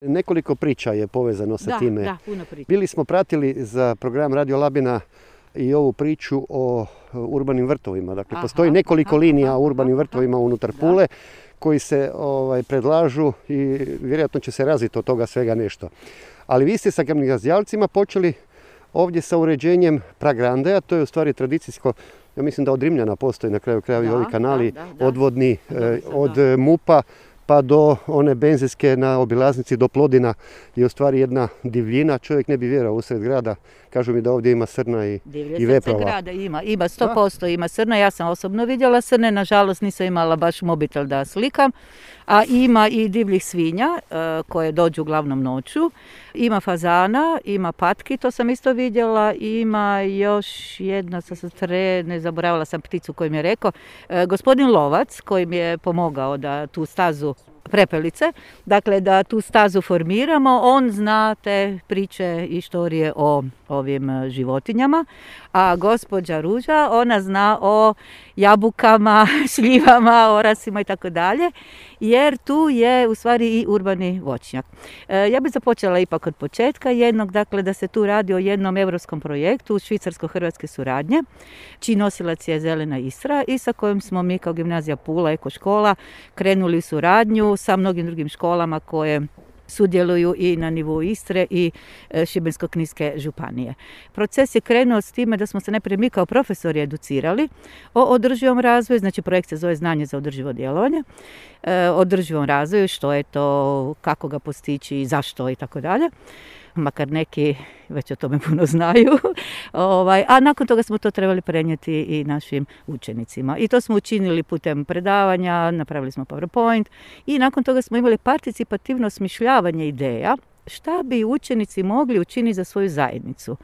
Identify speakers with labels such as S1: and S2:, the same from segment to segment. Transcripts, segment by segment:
S1: Nekoliko priča je povezano sa time.
S2: Da, puno priča.
S1: Bili smo pratili za program Radio Labina i ovu priču o urbanim vrtovima. Dakle, postoji nekoliko linija o urbanim vrtovima unutar Pule koji se predlažu i vjerojatno će se razviti od toga svega nešto. Ali vi ste sa gimnazijalcima počeli ovdje sa uređenjem Pragrandeja, to je u stvari tradicijsko, ja mislim da od Rimljana postoji na kraju krajeva ovi kanali odvodni od MUP-a pa do one benzinske na obilaznici do Plodina je u stvari jedna divljina, čovjek ne bi vjerovao usred grada. Kažu mi da ovdje ima srna i veprova.
S2: Grada ima 100% ima srna, ja sam osobno vidjela srne, nažalost nisam imala baš mobitel da slikam, a ima i divljih svinja koje dođu uglavnom noću, ima fazana, ima patki, to sam isto vidjela, ima još jedna, ne zaboravila sam pticu koju mi je rekao, gospodin Lovac koji mi je pomogao da tu stazu prepelice, dakle da tu stazu formiramo, on zna te priče i štorije o ovim životinjama, a gospođa Ruža, ona zna o jabukama, šljivama, orasima i tako dalje, jer tu je u stvari i urbani voćnjak. Ja bih započela ipak od početka jednog, dakle da se tu radi o jednom europskom projektu švicarsko-hrvatske suradnje, čiji nosilac je Zelena Istra i sa kojim smo mi kao Gimnazija Pula, Eko škola, krenuli u suradnju sa mnogim drugim školama koje sudjeluju i na nivou Istre i Šibensko-kninske županije. Proces je krenuo s time da smo se najprije mi kao profesori educirali o održivom razvoju, znači projekt se zove Znanje za održivo djelovanje, održivom razvoju, što je to, kako ga postići, zašto i tako dalje. Makar neki već o tome puno znaju, a nakon toga smo to trebali prenijeti i našim učenicima. I to smo učinili putem predavanja, napravili smo PowerPoint i nakon toga smo imali participativno osmišljavanje ideja šta bi učenici mogli učiniti za svoju zajednicu.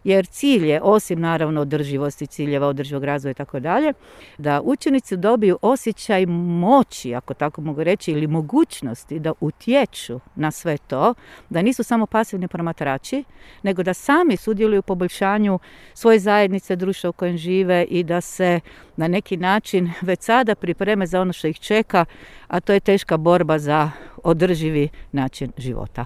S2: Jer cilj je, osim naravno održivosti, ciljeva održivog razvoja i tako dalje, da učenici dobiju osjećaj moći, ako tako mogu reći, ili mogućnosti da utječu na sve to, da nisu samo pasivni promatrači, nego da sami sudjeluju u poboljšanju svoje zajednice, društva u kojem žive i da se na neki način već sada pripreme za ono što ih čeka, a to je teška borba za održivi način života.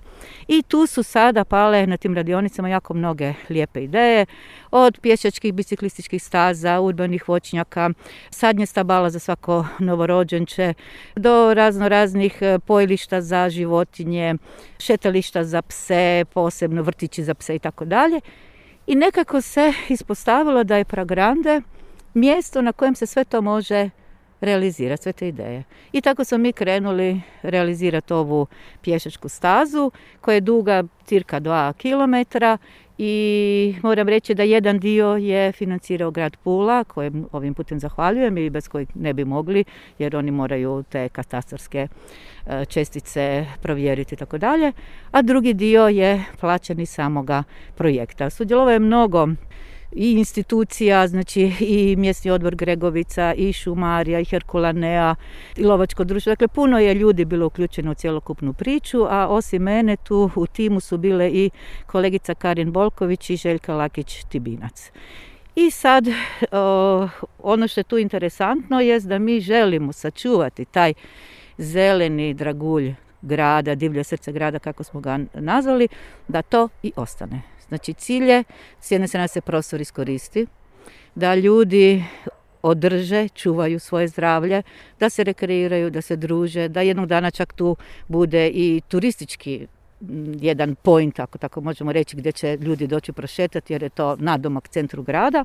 S2: I tu su sada pale na tim radionicama jako mnoge lijepe ideje, od pješačkih, biciklističkih staza, urbanih voćnjaka, sadnje stabala za svako novorođenče, do raznih pojilišta za životinje, šetališta za pse, posebno vrtići za pse i tako dalje. I nekako se ispostavilo da je Pragrande mjesto na kojem se sve to može realizirati, sve te ideje. I tako smo mi krenuli realizirati ovu pješačku stazu koja je duga cirka 2 kilometra i moram reći da jedan dio je financirao grad Pula, kojem ovim putem zahvaljujem i bez kojeg ne bi mogli, jer oni moraju te katastarske čestice provjeriti i tako dalje, a drugi dio je plaćen iz samoga projekta. Sudjelovalo je mnogo i institucija, znači i mjesni odbor Gregovica, i Šumarija, i Herkulanea, i Lovačko društvo. Dakle, puno je ljudi bilo uključeno u cjelokupnu priču, a osim mene tu u timu su bile i kolegica Karin Bolković i Željka Lakić-Tibinac. I sad, ono što je tu interesantno je da mi želimo sačuvati taj zeleni dragulj grada, divlje srce grada, kako smo ga nazvali, da to i ostane. Znači cilj je, s jedne strane se prostor iskoristi, da ljudi održe, čuvaju svoje zdravlje, da se rekreiraju, da se druže, da jednog dana čak tu bude i turistički jedan point, ako tako možemo reći, gdje će ljudi doći prošetati jer je to nadomak centru grada,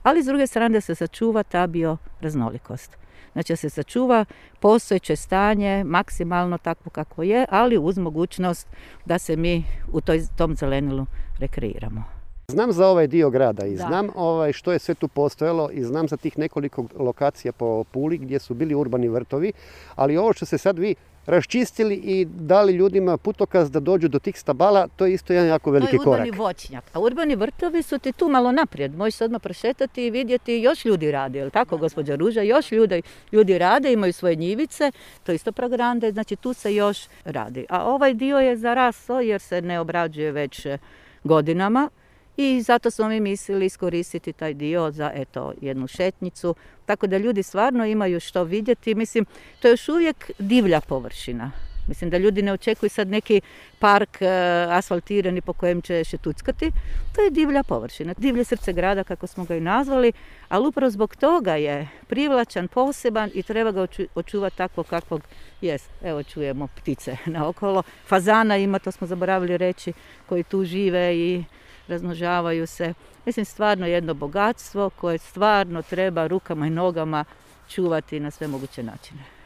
S2: ali s druge strane da se sačuva ta bioraznolikost. Znači da se sačuva postojeće stanje maksimalno takvo kako je, ali uz mogućnost da se mi u tom zelenilu rekreiramo.
S1: Znam za ovaj dio grada i znam što je sve tu postojalo i znam za tih nekoliko lokacija po Puli gdje su bili urbani vrtovi, ali ovo što se sad vi raščistili i dali ljudima putokaz da dođu do tih stabala, to je isto jedan jako veliki korak.
S2: To je urbani voćnjak, a urbani vrtovi su ti tu malo naprijed. Možeš se odmah prošetati i vidjeti još ljudi rade, jel tako, gospođa Ruža? Još ljudi rade, imaju svoje njivice, to je isto Pragrande, znači tu se još radi. A ovaj dio je zarasao jer se ne obrađuje već godinama. I zato smo mi mislili iskoristiti taj dio za jednu šetnicu, tako da ljudi stvarno imaju što vidjeti. Mislim, to je još uvijek divlja površina. Mislim da ljudi ne očekuju sad neki park asfaltirani po kojem će šetuckati. To je divlja površina, divlje srce grada kako smo ga i nazvali, ali upravo zbog toga je privlačan, poseban i treba ga očuvati tako kakvog jest. Evo čujemo ptice naokolo. Fazana ima, to smo zaboravili reći, koji tu žive i razmnožavaju se. Mislim, stvarno jedno bogatstvo koje stvarno treba rukama i nogama čuvati na sve moguće načine.